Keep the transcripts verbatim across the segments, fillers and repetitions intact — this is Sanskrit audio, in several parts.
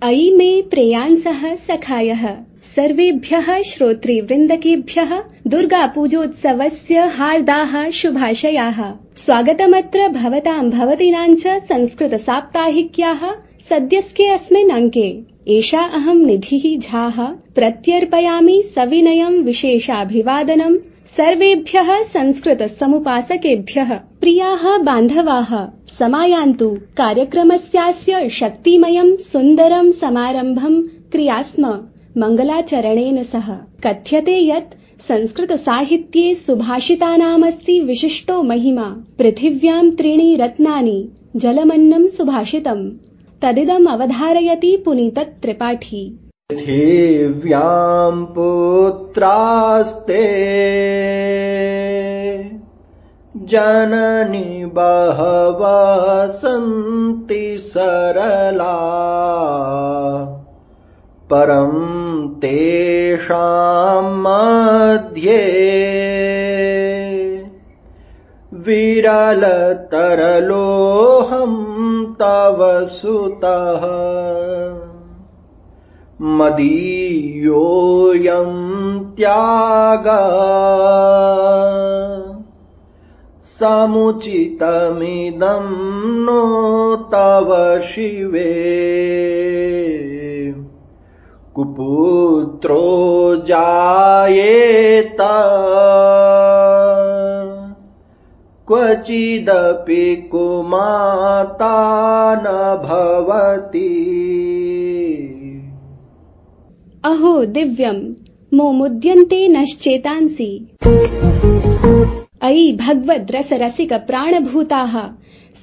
अयि मे प्रेयांसः सखायः सर्वेभ्यः श्रोतृवृन्दकेभ्यः दुर्गापूजोत्सवस्य हार्दाः शुभाशयाः। स्वागतमत्र भवतां भवतीनां च संस्कृतसाप्ताहिक्याः सद्यस्के अस्मिन् अङ्के। एषा अहं निधिः झाः प्रत्यर्पयामि सविनयं विशेषाभिवादनं सर्वेभ्यः संस्कृतसमुपासकेभ्यः। प्रियाः बान्धवाः, समायान्तु कार्यक्रमस्यास्य शक्तिमयं सुन्दरं समारम्भं क्रियास्म मङ्गलाचरणेन सह। कथ्यते यत् संस्कृतसाहित्ये सुभाषितानामस्ति विशिष्टो महिमा। पृथिव्यां त्रीणि रत्नानि जलमन्नं सुभाषितम्, तदिदम् अवधारयति पुनीतत्रिपाठी। पृथिव्यां पुत्रास्ते जननी बहवः सन्ति सरला, परं तेषां मध्ये विरलतरलोऽहं तव सुतः। मदीयोऽयं त्यागः समुचितमिदं नो तव शिवे। कुपुत्रो जायेत क्वचिदपि कुमाता न भवति। अहो दिव्यं मोमुद्यन्ते नश्चेतांसि। अयि भगवद्रसरसिक प्राणभूताः,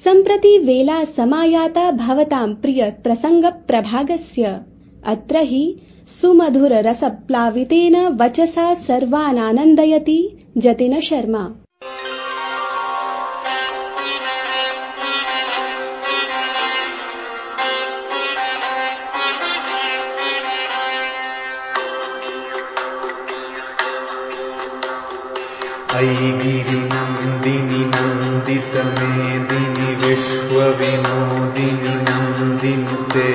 सम्प्रति वेला समायाता भवतां प्रिय प्रसंग प्रभागस्य। अत्र हि सुमधुर रसप्लावितेन वचसा सर्वानानन्दयति जतिन शर्मा। अयि गिरिनन्दिनि नन्दित मेदिनि विश्वविनोदिनि नन्दिनुते।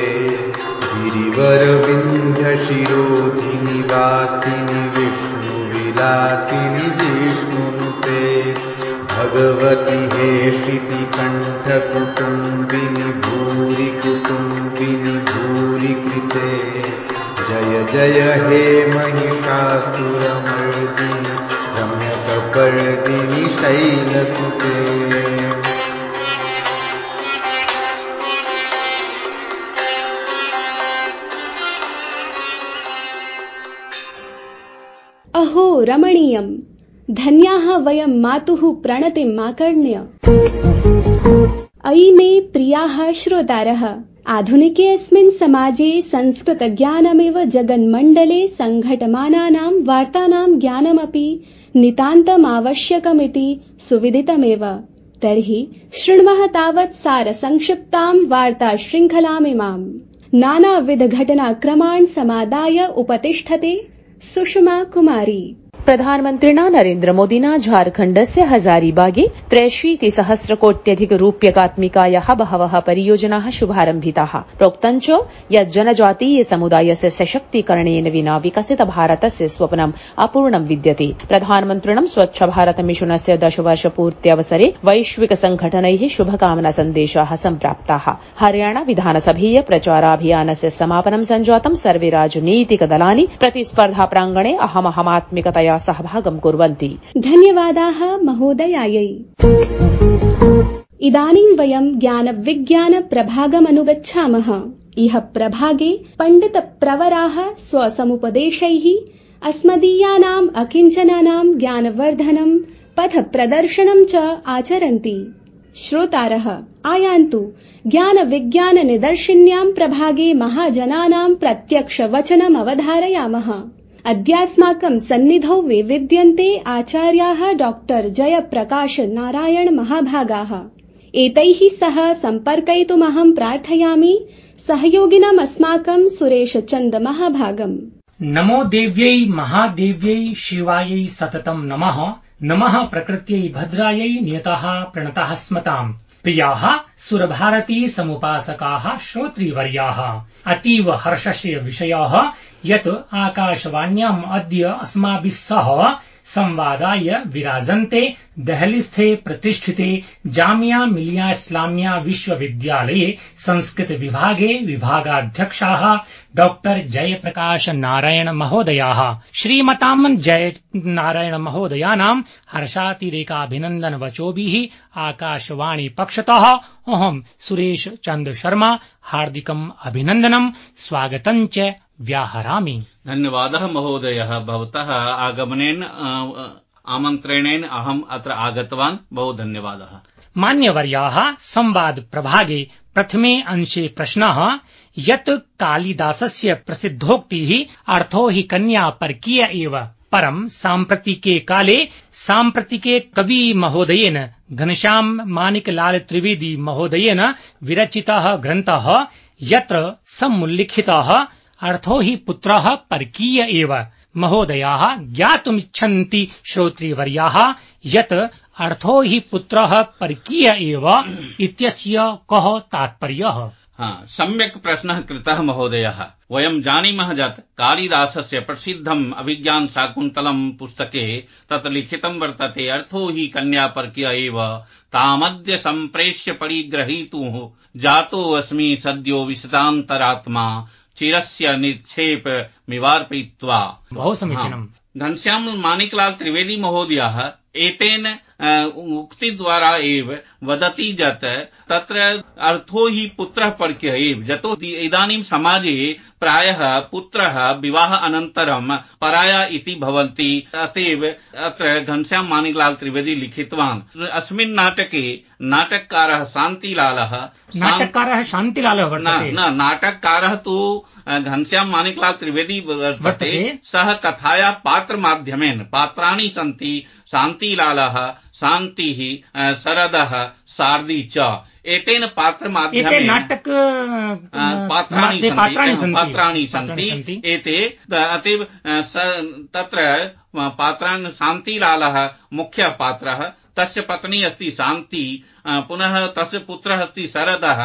गिरिवरविन्ध्यशिरोधिनि वासिनि विष्णुविलासिनि जिष्णुनुते। भगवति हे श्रुतिकण्ठकुटुम्बिनि भूरि कुटुम्बिनि भूरि कृते। जय जय हे महिषासुरमर्दिनि रम्यकपर्दिनि शैलसुते। अहो रमणीयम्, धन्याः वयं मातुः प्रणतिम् आकर्ण्य। अयि मे प्रियाः श्रोतारः, आधुनिके अस्मिन् समाजे संस्कृतज्ञानमेव जगन्मण्डले सङ्घटमानानां वार्तानां ज्ञानमपि नितान्तमावश्यकमिति सुविदितमेव। तर्हि शृण्मः तावत् सारसंक्षिप्तां वार्ता शृङ्खलामिमाम्। नानाविधघटनाक्रमान् समादाय उपतिष्ठते सुषमा कुमारी। प्रधानमन्त्रिणा नरेन्द्र मोदिना झारखण्डस्य हजारीबागे त्रयशीतिसहस्रकोट्यधिक रूप्यकात्मिकायाः बहवः परियोजनाः शुभारम्भिताः। प्रोक्तं च यत् जनजातीय समुदायस्य सशक्तीकरणेन विना विकसित भारतस्य स्वप्नम् अपूर्णं विद्यते। प्रधानमन्त्रिणं स्वच्छ भारत मिशनस्य दशवर्षपूर्त्यवसरे वैश्विक संघटनैः शुभकामना सन्देशाः सम्प्राप्ताः। हरियाणा विधानसभीय प्रचाराभियानस्य समापनं सञ्जातं। सर्वे राजनीतिक दलानि प्रतिस्पर्धा प्राङ्गणे अहमहमात्मिकतया सहभागं कुर्वन्ति। धन्यवादाः महोदयायै। इदानीं वयं ज्ञानविज्ञान प्रभागमनुगच्छामः। इह प्रभागे पण्डित प्रवराः स्वसमुपदेशैः अस्मदीयानाम् अकिञ्चनानां ज्ञानवर्धनं पथ प्रदर्शनं च आचरन्ति। श्रोतारः आयान्तु ज्ञान विज्ञान निदर्शिन्यां प्रभागे महाजनानां प्रत्यक्ष वचनम् अवधारयामः। अद्यास्माकं सन्निधौ विद्यन्ते आचार्याः डॉक्टर जयप्रकाश नारायण महाभागाः। एतैः सह सम्पर्कयितुमहं प्रार्थयामि सहयोगिनम् अस्माकं सुरेश चन्द महाभागम्। नमो देव्यै महादेव्यै शिवायै सततं नमः। नमः प्रकृत्यै भद्रायै नियतः प्रणतः स्मताम्। प्रियाः सुरभारती समुपासकाः श्रोतृवर्याः, अतीव हर्षस्य विषयः यत् आकाशवाण्याम् अद्य अस्माभिः सह संवादाय विराजन्ते देहलीस्थे प्रतिष्ठिते जामिया मिलिया इस्लामिया विश्वविद्यालये संस्कृत विभागे विभागाध्यक्षाः डॉक्टर जयप्रकाश नारायण महोदयाः। श्रीमतां जय नारायण महोदयानां हर्षातिरेकाभिनन्दन वचोभिः आकाशवाणी पक्षतः अहं सुरेश चन्द्र शर्मा हार्दिकम् अभिनन्दनं स्वागतं च व्याहरामि। धन्यवादः महोदयः, भवतः आगमनेन आमन्त्रणेन अहम् अत्र आगतवान्, बहु धन्यवादः। मान्यवर्याः, संवाद प्रभागे प्रथमे अंशे प्रश्नः यत् कालिदासस्य प्रसिद्धोक्तिः अर्थो हि कन्या परकीय एव, परं साम्प्रतिके काले साम्प्रतिके कवि महोदयेन घनश्याम माणिकलाल त्रिवेदी महोदयेन विरचितः ग्रन्थः यत्र समुल्लिखितः अर्थो हि पुत्रः परकीय एव। महोदयाः ज्ञातुमिच्छन्ति श्रोतृवर्याः यत् अर्थो हि पुत्रः परकीय एव इत्यस्य कः तात्पर्यः? हाँ, सम्यक् प्रश्नः कृतः महोदयः। वयं जानीमः यत् कालिदासस्य प्रसिद्धम् अभिज्ञान शाकुन्तलम् पुस्तके तत् लिखितं वर्तते अर्थो हि कन्या परकीय एव, तामद्य सम्प्रेष्य परिग्रहीतुः जातोऽस्मि सद्यो विशदान्तरात्मा चिरस्य निक्षेप मिवार्पयित्वा। बहु समीचीनम्। घनश्याम माणिकलाल त्रिवेदी महोदयः एतेन उक्ति द्वारा एव वदति यत् तत्र अर्थो हि पुत्रः परकीय एव, यतो इदानीं समाजे प्रायः पुत्रः विवाह अनन्तरं पराया इति भवन्ति, अतएव अत्र घनश्याम माणिकलाल त्रिवेदी लिखितवान्। अस्मिन् नाटके नाटककारः शान्तिलालः नाटककारः शान्तिलालः वर्तते न नाटककारः तु घनश्याम माणिकलाल त्रिवेदी वर्तते। सः कथाया पात्र माध्यमेन पात्राणि सन्ति शान्तिलालः, शान्तिः, शरदः, शारदी च। एतेन पात्र माध्यमेन नाटक पात्राणि पात्राणि सन्ति एते। अतएव तत्र पात्राणि शान्तिलालः मुख्यः पात्रः, तस्य पत्नी अस्ति शान्ति, पुनः तस्य पुत्रः अस्ति शरदः,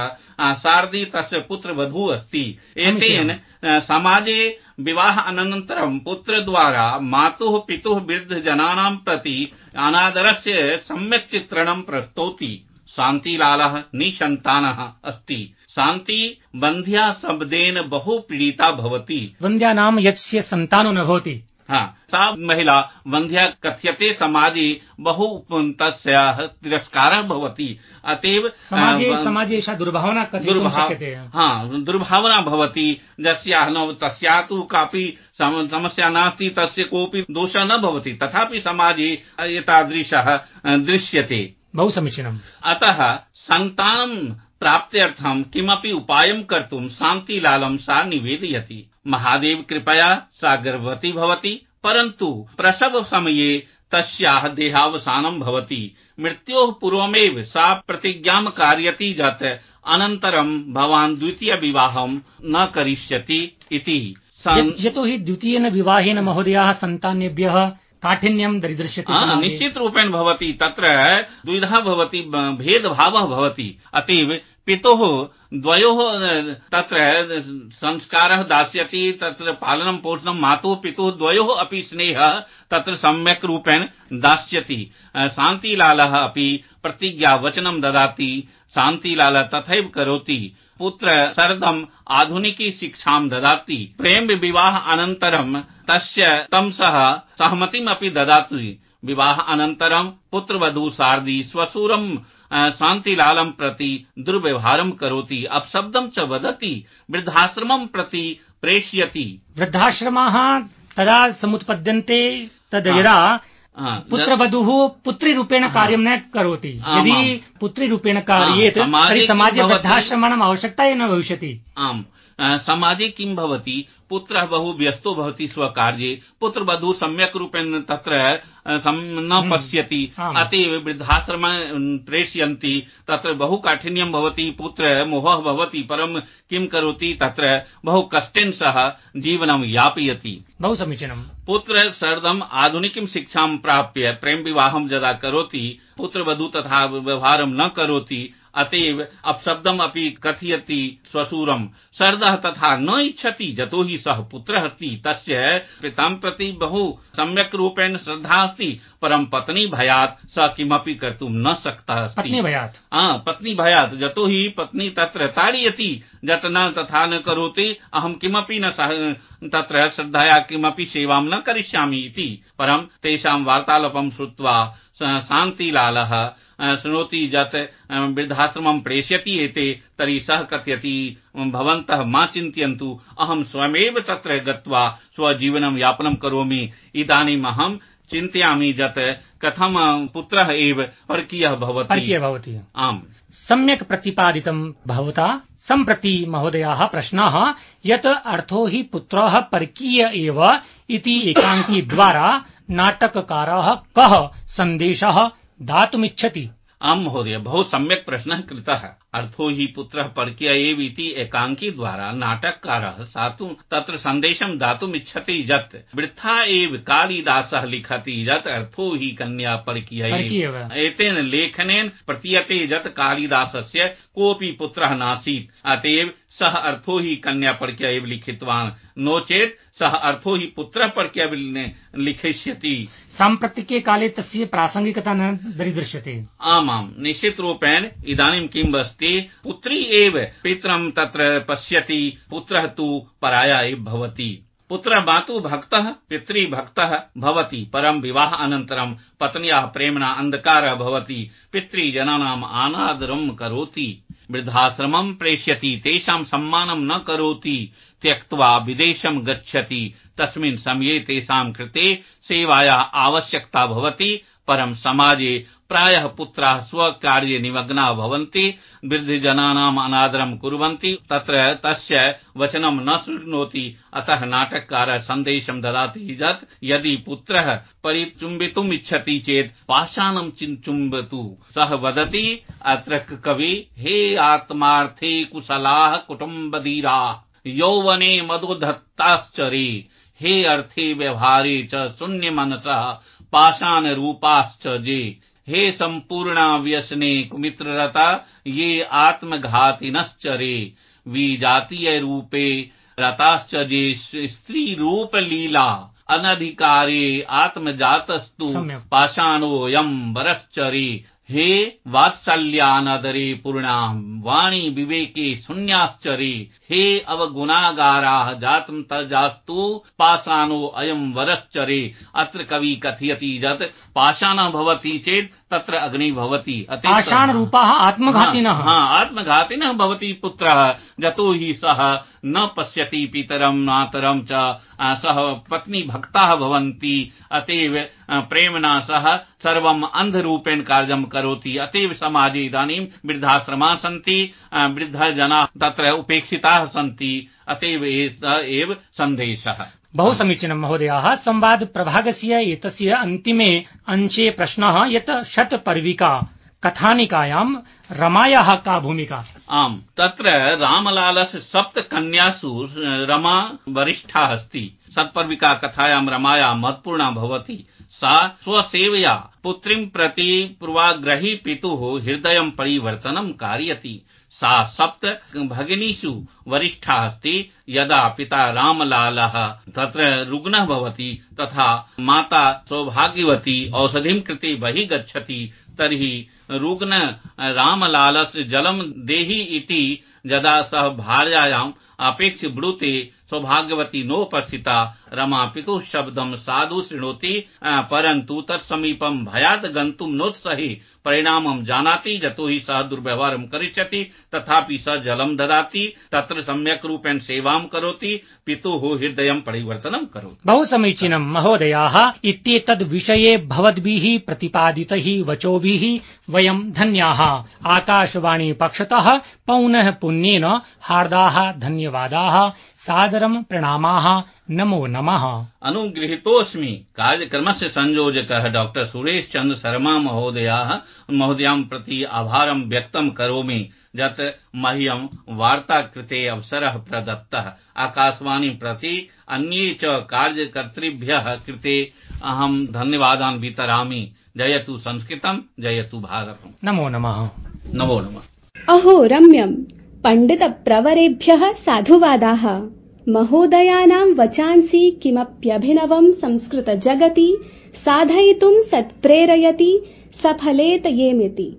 शारदी तस्य पुत्रवधू अस्ति। एतेन समाजे विवाह अनन्तरं पुत्रद्वारा मातुः पितुः वृद्धजनानां प्रति अनादरस्य सम्यक् चित्रणं प्रस्तौति। शान्तिलालः निसन्तानः अस्ति। शान्ति बन्ध्या शब्देन बहु पीडिता भवति। बन्ध्या नाम यस्य सन्तानो न भवति। हाँ, सा महिला बन्ध्या कथ्यते, समाजे बहु तस्याः तिरस्कारः भवति। अतएव समाजे समाजे एषा दुर्भावना कथितुं शक्यते। हाँ, दुर्भावना भवति, यस्याः न तस्याः तु कापि समस्या नास्ति, तस्य कोऽपि दोषः न भवति, तथापि समाजे एतादृशः दृश्यते। बहु समीचीनम्। अतः सन्तानं प्राप्त्यर्थं किमपि उपायं कर्तुं शान्तिलालं सा निवेदयति। महादेव कृपया सा गर्भवती भवति, परन्तु प्रसव समये तस्याः देहावसानं भवति। मृत्योः पूर्वमेव सा प्रतिज्ञां कारयति यत् अनन्तरं भवान् द्वितीय विवाहं न करिष्यति इति। यतो हि द्वितीयेन विवाहेन महोदयाः सन्तानेभ्यः काठिन्यं दरीदृश्यते। निश्चित रूपेण भवति, तत्र द्विधा भवति, भेदभावः भवति। अतएव पितुः द्वयोः तत्र संस्कारः दास्यति, तत्र पालनं पोषणं मातुः पितुः द्वयोः अपि स्नेहः तत्र सम्यक् रूपेण दास्यति। शान्तिलालः अपि प्रतिज्ञा वचनं ददाति, शान्तिलालः तथैव करोति। पुत्र शरदम् आधुनिकी शिक्षां ददाति। प्रेम विवाह अनन्तरं तस्य तं सह सहमतिम् अपि ददाति। विवाह अनन्तरं पुत्रवधू शारदी स्वशुरं शान्तिलालं प्रति दुर्व्यवहारं करोति, अपशब्दं च वदति, वृद्धाश्रमं प्रति प्रेषयति। वृद्धाश्रमाः तदा समुत्पद्यन्ते तद् यदा पुत्रवधूः पुत्रीरूपेण कार्यं न करोति। यदि पुत्रीरूपेण कार्येत तर्हि समाजे वृद्धाश्रमाणाम् आवश्यकता एव न भविष्यति। आम्, समाजे किं भवति, पुत्रः बहु व्यस्तो भवति स्वकार्ये, पुत्रवधू सम्यक् रूपेण तत्र न पश्यति, अतएव वृद्धाश्रम प्रेषयन्ति, तत्र बहु काठिन्यं भवति, पुत्र मोहः भवति, परं किं करोति, तत्र बहु कष्टेन सह जीवनं यापयति। बहु समीचीनम्। पुत्र सर्वम् आधुनिकीं शिक्षां प्राप्य प्रेम विवाहं यदा करोति, पुत्रवधू तथा व्यवहारं न करोति, अतएव अपशब्दम् अपि कथयति स्वशूरम्, सर्दः तथा न इच्छति, यतो हि सः पुत्रः अस्ति, तस्य पितां प्रति बहु सम्यक् रूपेण श्रद्धा अस्ति, परं पत्नी भयात् स किमपि कर्तुं न शक्तः अस्ति। पत्नी भयात् हा पत्नी भयात्, यतो हि पत्नी तत्र ताडयति, यत् न तथा न करोति, अहं किमपि न सह तत्र श्रद्धया किमपि सेवां न करिष्यामि इति। परं तेषां वार्तालापं श्रुत्वा शान्तिलालः शृणोति यत् वृद्धाश्रमं प्रेष्यति एते, तर्हि सः कथयति, भवन्तः मा चिन्तयन्तु, अहं स्वयमेव तत्र गत्वा स्वजीवनं यापनं करोमि। इदानीम् अहं चिन्तयामि यत् कथं पुत्रः एव परकीयः भवति। परकीयः भवति। आम्, सम्यक् प्रतिपादितं भवता। सम्प्रति महोदयाः प्रश्नः यत् अर्थो हि पुत्रः परकीय एव इति एकाङ्की द्वारा नाटककारः कः सन्देशः दातुमिच्छति? आम् महोदय, बहु सम्यक् प्रश्नः कृतः। अर्थो हि पुत्रः परकीय एव इति एकाङ्की द्वारा नाटककारः सातु तत्र सन्देशं दातुमिच्छति यत् वृथा एव कालिदासः लिखति यत् अर्थो हि कन्या परकीय एव। एतेन लेखनेन प्रतीयते यत् कालिदासस्य कोऽपि पुत्रः नासीत्, अतएव सः अर्थो हि कन्या परकीय एव लिखितवान्, नो चेत् सः अर्थो हि पुत्रः परकीय लिखिष्यति। साम्प्रतिके काले तस्य प्रासंगिकता न दरीदृश्यते। आमाम्, निश्चित रूपेण इदानीं किम् अस्ति, पुत्री एव पितरं तत्र पश्यति, पुत्रः तु पराया एव भवति। पुत्रः मातु भक्तः पितृ भक्तः भवति, परं विवाह अनन्तरं पत्न्याः प्रेम्णा अन्धकारः भवति, पितृजनानाम् अनादरं करोति, वृद्धाश्रमं प्रेष्यति, तेषां सम्मानं न करोति, त्यक्त्वा विदेशं गच्छति, तस्मिन् समये तेषां कृते सेवायाः आवश्यकता भवति, परं समाजे प्रायः पुत्राः स्वकार्ये निमग्नाः भवन्ति, वृद्धजनानाम् अनादरं कुर्वन्ति, तत्र तस्य वचनं न शृणोति। अतः नाटककारः सन्देशं ददाति यत् यदि पुत्रः परिचुम्बितुम् इच्छति चेत् पाषाणं चुम्बतु। सः वदति अत्र कवि, हे आत्मार्थे कुशलाः कुटुम्बधीराः, यौवने मदोधत्ताश्चरे, हे अर्थे व्यवहारे च शून्यमनसः पाषाण रूपाश्च जे, हे सम्पूर्णा व्यसने कुमित्ररता ये आत्मघातिनश्चरे, विजातीय रूपे रताश्च जे स्त्री रूप लीला, अनधिकारे आत्मजातस्तु पाषाणोऽयं वरश्चरे, हे वात्सल्यानदरे पूर्णा वाणी विवेके शून्याश्चरे, हे अवगुणागाराः जातं तजास्तु पाषाणो अयं वरश्चरे। अत्र कवि कथयति यत् पाषाणः भवति चेत् तत्र अग्निः भवति, पाषाण रूपाः आत्मघातिनः। हा, आत्मघातिनः भवति पुत्रः, यतो हि सः न पश्यति पितरं मातरं च, सः पत्नी भक्ताः भवन्ति, अतएव प्रेम्णा सह सर्वम् अन्धरूपेण कार्यं करोति। अतएव समाजे इदानीं वृद्धाश्रमाः सन्ति, वृद्धजनाः तत्र उपेक्षिताः सन्ति, अतएव एव सन्देशः। बहु समीचीनं महोदयाः। संवाद प्रभागस्य एतस्य अन्तिमे अंशे प्रश्नः यत् शतपर्विका कथानिकायां रमायाः का भूमिका? आम्, तत्र रामलालस्य सप्तकन्यासु रमा वरिष्ठा अस्ति। शतपर्विका कथायां रमाया महत्वपूर्णा भवति। सा स्वसेवया पुत्रीं प्रति पूर्वाग्रही पितुः हृदयं परिवर्तनं कारयति। सा सप्त भगिनीषु वरिष्ठा अस्ति। यदा पिता रामलालः तत्र रुग्णः भवति तथा माता सौभाग्यवती औषधिं कृते बहिः गच्छति, तर्हि रुग्ण रामलालस्य जलं देहि इति यदा सः भार्यायाम् अपेक्ष्य ब्रूते, सौभाग्यवती नोपस्थिता। रमा पितुः शब्दं साधु शृणोति, परन्तु तत्समीपं भयात् गन्तुं नोत्सहे। परिणामं जानाति, यतो हि सः दुर्व्यवहारं करिष्यति तथापि सः जलं ददाति, तत्र सम्यक् रूपेण सेवां करोति, पितुः हृदयं परिवर्तनं करोति। बहु समीचीनं महोदयाः। इत्येतद् विषये भवद्भिः प्रतिपादितैः वचोभिः वयं धन्याः। आकाशवाणी पक्षतः पौनः पुन्येन हार्दाः धन्यवादाः, सादरं प्रणामाः, नमो नमः। अनुगृहीतोऽस्मि। कार्यक्रमस्य संयोजकः डॉक्टर सुरेश चंद्र शर्मा महोदयाः महोदयां प्रति आभारं व्यक्तं करोमि, यत् मह्यं वार्ता कृते अवसरः प्रदत्तः। आकाशवाणी प्रति अन्ये च कार्यकर्तृभ्यः कृते अहं धन्यवादान् वितरामि। जयतु संस्कृतं, जयतु भारतम्। नमो नमः। नमो नमः। अहो रम्यम्। पंडित प्रवरेभ्यः साधुवादाः। महोदयानां वचांसि किमप्यभिनवं संस्कृत जगति साधयितुं सत्प्रेरयति सफलेत येमिति।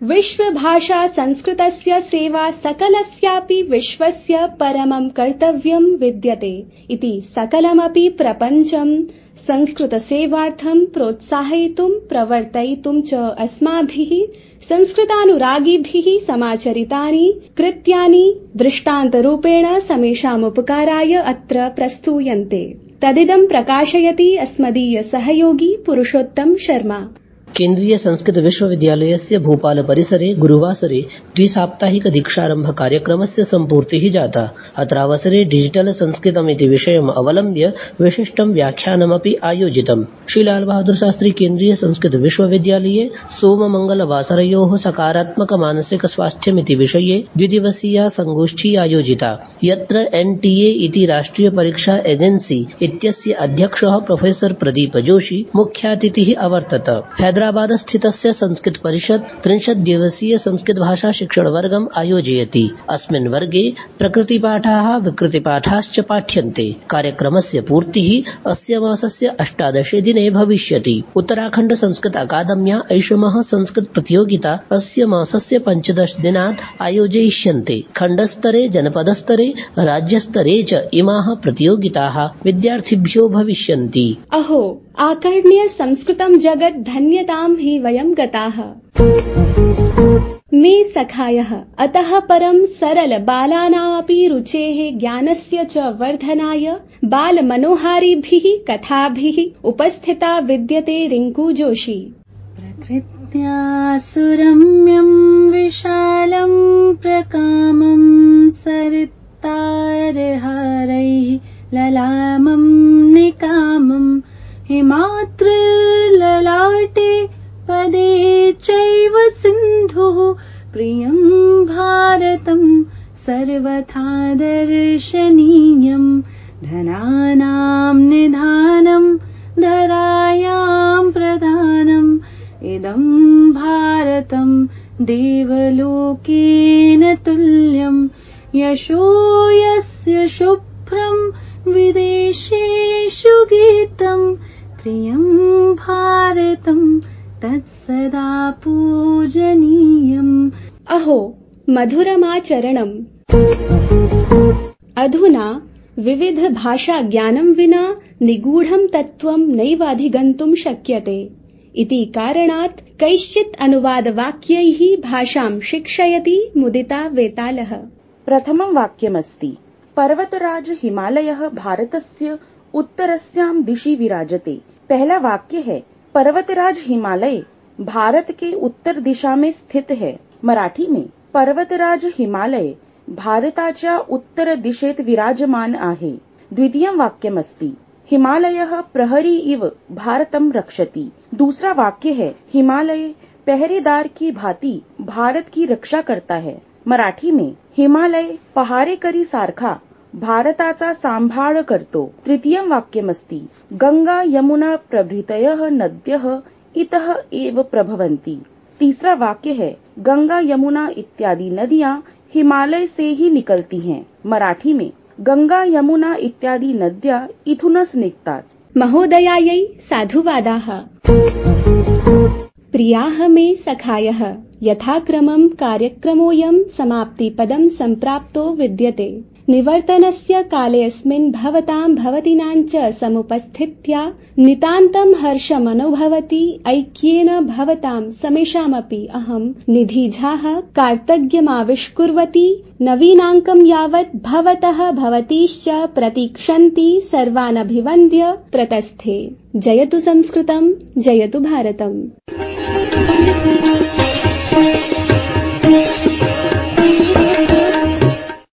विश्वभाषा संस्कृतस्य सेवा सकलस्यापि विश्वस्य परमं कर्तव्यं विद्यते इति सकलमपि प्रपञ्चं संस्कृतसेवार्थं प्रोत्साहयितुं प्रवर्तयितुं च अस्माभिः संस्कृतानुरागिभिः समाचरितानि कृत्यानि दृष्टान्तरूपेण समेषामुपकाराय अत्र प्रस्तूयन्ते। तदिदं प्रकाशयति अस्मदीय सहयोगी पुरुषोत्तम शर्मा। केन्द्रीय संस्कृत विश्वविद्यालयस्य भोपाल परिसरे गुरुवासरे द्विसाप्ताहिक दीक्षारम्भ कार्यक्रमस्य सम्पूर्तिः जाता। अत्रावसरे डिजिटल संस्कृतमिति विषयम् अवलम्ब्य विशिष्टं व्याख्यानमपि आयोजितम्। श्री लाल बहादुर शास्त्री केन्द्रीय संस्कृत विश्वविद्यालये सोममंगलवासरयोः सकारात्मक मानसिक स्वास्थ्यमिति विषये द्विदिवसीया संगोष्ठी आयोजिता, यत्र एनटीए इति राष्ट्रिय परीक्षा एजेंसी इत्यस्य अध्यक्षः प्रोफेसर प्रदीप जोशी मुख्यातिथिः अवर्तत। हैदराबाद स्थितस्य संस्कृत परिषद त्रिंशत् दिवसीय संस्कृत भाषा शिक्षण वर्गम् आयोजयति। अस्मिन् वर्गे प्रकृतिपाठाः विकृतिपाठाश्च पाठ्यन्ते। कार्यक्रमस्य पूर्तिः अस्य मासस्य अष्टादशे दिने भविष्यति। उत्तराखण्ड संस्कृत अकादम्या ऐषमः संस्कृत प्रतियोगिता अस्य मासस्य पञ्चदश दिनात् आयोजयिष्यन्ते। खण्डस्तरे, जनपदस्तरे, राज्यस्तरे च इमाः प्रतियोगिताः विद्यार्थिभ्यो भविष्यन्ति। अहो आकर्ण्य संस्कृतं जगत् धन्यतां हि वयं गताः। मे सखायः अतः परं सरल बालानामपि रुचेः ज्ञानस्य च वर्धनाय बालमनोहारिभिः कथाभिः उपस्थिता विद्यते रिंकू जोशी। प्रकृत्या सुरम्यं विशालं प्रकामं सरितारहारैः ललामं निकामं हिमाद्रिर्ललाटे पदे चैव सिन्धुः प्रियं भारतं सर्वथा दर्शनीयं धनानां निधानं धरायां प्रधानम् इदं भारतं देवलोकेन तुल्यं यशो यस्य शुभ्रं विदेशेषु गीतं प्रियं भारतं तत्सदा पूजनीयम्। अहो मधुरमाचरणम्। अधुना विविध भाषा ज्ञानं विना निगूढं तत्त्वं नैवाधिगन्तुं शक्यते इति कारणात् कैश्चित् अनुवादवाक्यैः भाषां शिक्षयति मुदिता वेतालः। प्रथमं वाक्यमस्ति पर्वतराज हिमालयः भारतस्य उत्तरस्यां दिशि विराजते। पहला वाक्य है पर्वतराज हिमालय भारत के उत्तर दिशा में स्थित है। मराठी में पर्वतराज हिमालय भारताच्या उत्तर दिशेत विराजमान आहे। द्वितीयं वाक्यमस्ति हिमालयः प्रहरी इव भारतं रक्षति। दूसरा वाक्य है हिमालय पहरेदार की भांति भारत की रक्षा करता है। मराठी में हिमालय पहारेकरी सारखा भारताचा सांभाळ करतो। तृतीयं वाक्यमस्ति गंगा यमुना प्रभृतयः नद्यः इतः एव प्रभवन्ति। तीसरा वाक्य है गंगा यमुना इत्यादि नदियां हिमालय से ही निकलती हैं। मराठी में गंगा यमुना इत्यादि नद्या इथूनच निघतात। महोदयायै साधुवादाः। प्रियाः मे सखायः यथाक्रमं कार्यक्रमोऽयं समाप्तिपदं सम्प्राप्तो विद्यते। निवर्तनस्य कालेऽस्मिन् भवतां भवतीनां च समुपस्थित्या नितान्तं हर्षमनुभवति। ऐक्येन भवतां समेषामपि अहं निधिझाः कार्तज्ञमाविष्कुर्वती। नवीनाङ्कं यावत् भवतः भवतीश्च प्रतीक्षन्ति सर्वानभिवन्द्य प्रतस्थे। जयतु संस्कृतं, जयतु भारतम्।